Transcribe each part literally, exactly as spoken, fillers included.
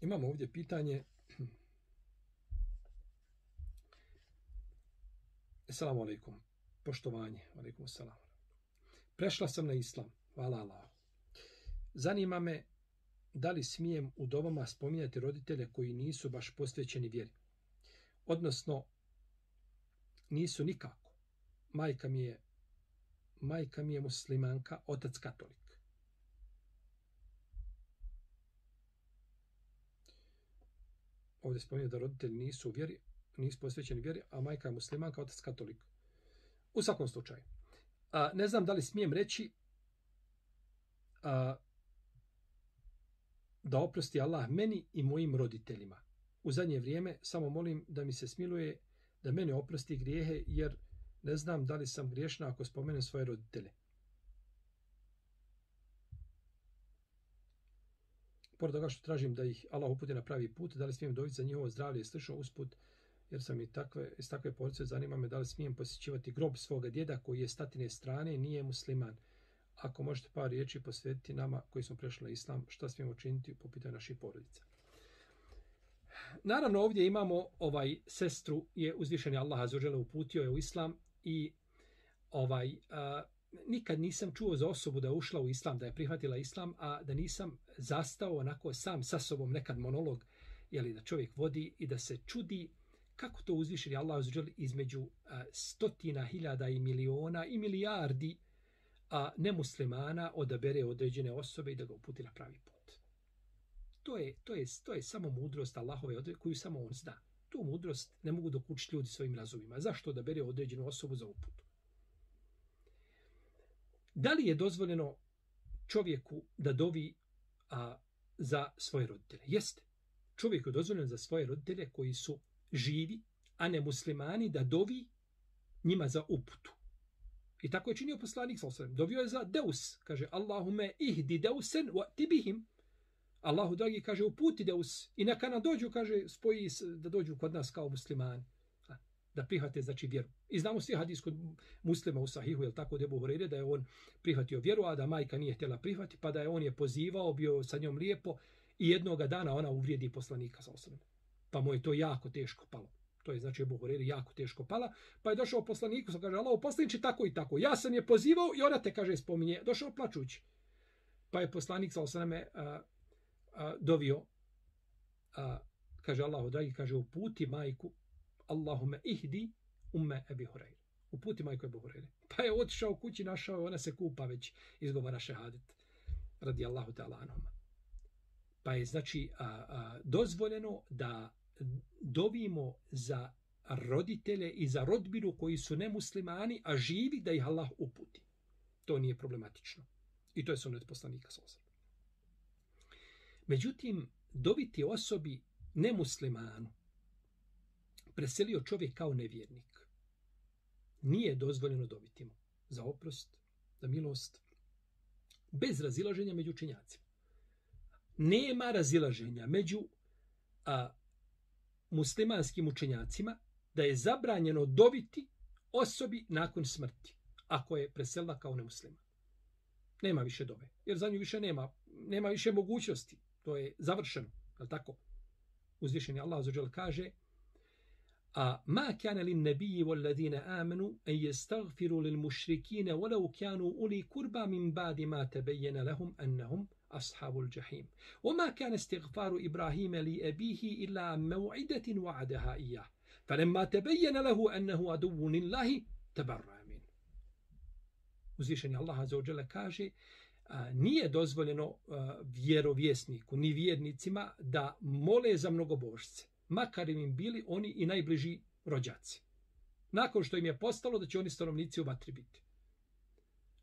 Imamo ovdje pitanje. Assalamu alaikum. Poštovanje. Alaikum assalam. Prešla sam na islam. Hvala Allahu. Zanima me da li smijem u dovama spominjati roditelje koji nisu baš posvećeni vjeri. Odnosno, nisu nikako. Majka mi je, majka mi je muslimanka, otac katolik. Ovdje spominje da roditelji nisu u vjeri, nisu posvećeni vjeri, a majka je muslimanka, otac katolik. U svakom slučaju. A, ne znam da li smijem reći a, da oprosti Allah meni i mojim roditeljima. U zadnje vrijeme samo molim da mi se smiluje da mene oprosti grijehe, jer ne znam da li sam griješna ako spomenem svoje roditelje. Pored toga što tražim da ih Allah uputi na pravi put, da li smijem dobiti za njihovo zdravlje i slično usput, jer sam i takve, iz takve porodice, zanima me da li smijem posjećivati grob svoga djeda koji je s tatine strane, nije musliman. Ako možete par riječi posvetiti nama koji smo prešli na islam, šta smijemo učiniti po pitanju naših porodica. Naravno, ovdje imamo ovaj sestru, je uzvišeni Allah azza uputio je u islam i ovaj a, nikad nisam čuo za osobu da je ušla u islam, da je prihvatila islam, a da nisam zastao onako sam sa sobom nekad monolog, jeli, da čovjek vodi i da se čudi kako to uzvišeni Allah azza između a, stotina hiljada i miliona i milijardi a nemuslimana odabere određene osobe i da ga uputi na pravi put. To je, to je, to je samo mudrost Allahove odredbe koju samo on zna. Tu mudrost ne mogu dokučiti ljudi svojim razumima. Zašto odabere određenu osobu za uputu? Da li je dozvoljeno čovjeku da dovi a, za svoje roditelje? Jeste. Čovjeku je dozvoljeno za svoje roditelje koji su živi, a ne muslimani, da dovi njima za uputu. I tako je činio poslanik sallallahu alejhi ve sellem. Dovio je za Deus, kaže Allahume ihdi Deusen wa tibihim. Allahu dragi, kaže, uputi Deus i neka nam dođu, kaže, spoji da dođu kod nas kao muslimani, da prihvate, znači, vjeru. I znamo svi hadis kod muslima u Sahihu, je tako, Ebu Hurajre, da je on prihvatio vjeru, a da majka nije htjela prihvati, pa da je on je pozivao, bio sa njom lijepo i jednoga dana ona uvrijedi poslanika sallallahu alejhi ve sellem. Pa mu je to jako teško palo. To je, znači, Ebu Hurajre jako teško pala, pa je došao poslaniku, sa kaže, Allahu poslaniče, tako i tako. Ja sam je pozivao i ona te, kaže, spominje, došao plačući. Pa je poslanik sallallahu alejhi ve sellem a, dovio, a, kaže Allahu dragi, kaže, uputi majku, Allahume ihdi umme Ebi Hurajre. Uputi majku Ebu Hurajre. Pa je otišao u kući, našao, ona se kupa već, izgovara šehadet, radi Allahu ta'ala anhuma. Pa je, znači, a, a, dozvoljeno da dovimo za roditelje i za rodbinu koji su nemuslimani, a živi, da ih Allah uputi. To nije problematično. I to je sunnet poslanika sallallahu alejhi ve sellem. Međutim, doviti osobi nemuslimanu, preselio čovjek kao nevjernik, nije dozvoljeno dobiti mu za oprost, za milost, bez razilaženja među učenjacima. Nema razilaženja među a, muslimanskim učenjacima da je zabranjeno dobiti osobi nakon smrti, ako je preselila kao nemusliman. Nema više dove, jer za nju više nema, nema više mogućnosti. To je završeno, je li tako? Uzvišeni Allah azza wa dželle kaže: a ma kana lin nabiyyi wal ladina amanu an yastaghfiru lil mushrikeen walau kanu uli qurba min ba'di ma tabayyana lahum annahum ashabul jahim. Wama kana istighfaru Ibrahima li abihi illa maw'idatin wa'adaha iyyah. Falamma tabayyana lahu annahu aduwwun lillahi tabarra'a min. Uzvišeni Allah azza wa dželle kaže: a, nije dozvoljeno a, vjerovjesniku ni vjernicima da mole za mnogobožce, makar im bili oni i najbliži rođaci. Nakon što im je postalo da će oni stanovnici u vatri biti.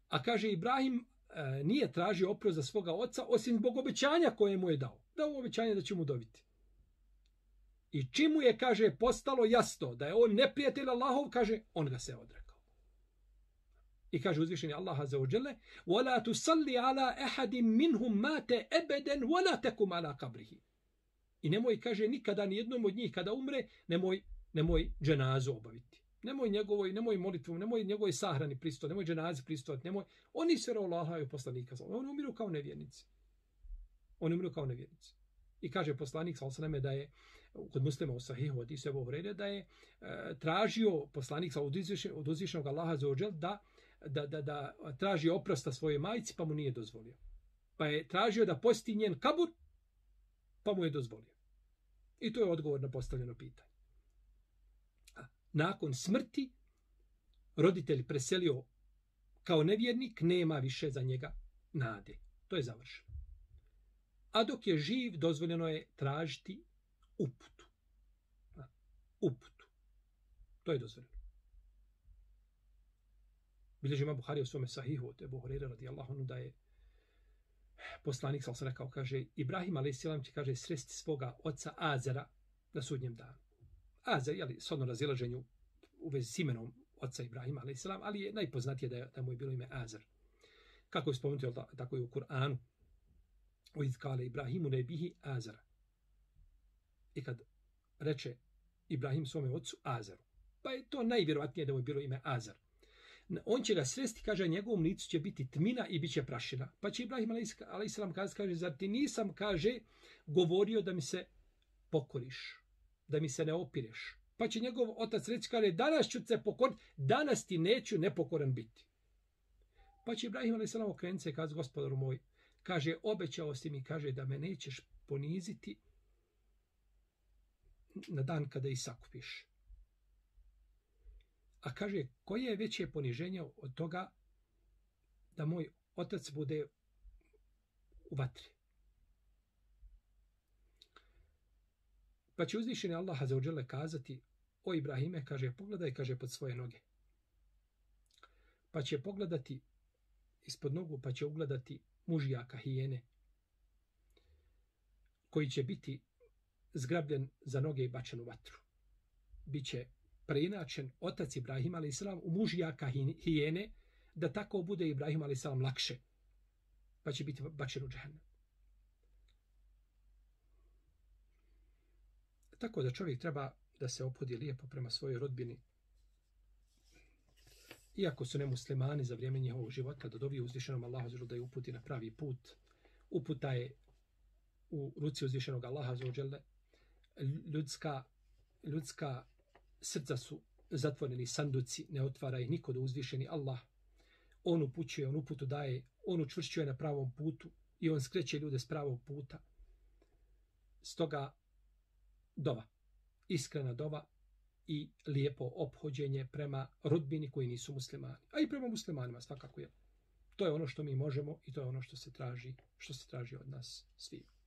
A kaže Ibrahim a, nije tražio oprost za svoga oca osim zbog obećanja koje mu je dao. Dao mu obećanje da će mu dobiti. I čim mu je, kaže, postalo jasno da je on neprijatelj Allahov, kaže, on ga se odrekao. I kaže uzvišeni Allah azza wa dželle: "Wala tusalli ala ahadin minhum mata abadan wala takum ala qabrihi." I nemoj, kaže, nikada ni jednom od njih kada umre, nemoj nemoj dženazu obaviti. Nemoj njegovoj, nemoj molitvom, nemoj njegovoj sahrani pristojati, nemoj dženazi pristojati, nemoj. Oni su Allaha i poslanika, oni umiru kao nevjernici. Oni umiru kao nevjernici. I kaže poslanik sallallahu alejhi ve selleme da je kod Muslima u Sahihu hadisu Ebu Hurajre da je e, tražio poslanik od uzvišenog, od uzvišenog Allaha azza wa džel da, da, da, da traži oprosta svojoj majci, pa mu nije dozvolio. Pa je tražio da posti njen kabur, pa mu je dozvolio. I to je odgovor na postavljeno pitanje. A nakon smrti roditelj preselio kao nevjernik, nema više za njega nade. To je završeno. A dok je živ, dozvoljeno je tražiti uputu. A, uputu. To je dozvoljeno. Bilježi ima Buharija u svome sahihu od Ebu Hurajre radijallahu anhu da je poslanik sallallahu alejhi ve sellem rekao, kaže, Ibrahim alejhi selam će, kaže, sresti svoga oca Azera na sudnjem danu. Azer, jeli, s odno razilaženju u vezi s imenom oca Ibrahima alejhi selam, ali je najpoznatije da, je, da mu je bilo ime Azer. Kako je spomenuto, tako je u Kur'anu. O izkale Ibrahimu nebihi Azera. I kad reče Ibrahim svome ocu Azeru, pa je to najvjerovatnije da mu je bilo ime Azer. On će ga sresti, kaže, njegovom licu će biti tmina i bit će prašina. Pa će Ibrahim alejhi selam kaže, kaže, zar ti nisam, kaže, govorio da mi se pokoriš, da mi se ne opireš. Pa će njegov otac reći, kaže, danas ću se pokoriti, danas ti neću nepokoran biti. Pa će Ibrahim alejhi selam okrenuti se i kaže, gospodaru moj, kaže, obećao si mi, kaže, da me nećeš poniziti na dan kada i sakupiš. A kaže, koje je veće poniženje od toga da moj otac bude u vatri? Pa će uzvišeni Allah azza wa dželle kazati, o Ibrahime, kaže, pogledaj, kaže, pod svoje noge. Pa će pogledati ispod nogu, pa će ugledati mužjaka hijene, koji će biti zgrabljen za noge i bačen u vatru. Biće preinačen otac Ibrahim alejhi selam u mužjaka hijene, da tako bude Ibrahim alejhi selam lakše, pa će biti bačen u džehennem. Tako da čovjek treba da se ophodi lijepo prema svojoj rodbini, iako su nemuslimani za vrijeme njihovog života, da dovi uzvišenom Allahu da je uputi na pravi put. Uputa je u ruci uzvišenog Allaha azza ljudska, ljudska srca su zatvoreni sanduci, ne otvara ih niko do uzvišeni Allah. On upućuje, on uputu daje, on učvršćuje na pravom putu i on skreće ljude s pravog puta. Stoga dova, iskrena dova i lijepo ophođenje prema rodbini koji nisu muslimani. A i prema muslimanima svakako je. To je ono što mi možemo i to je ono što se traži, što se traži od nas svih.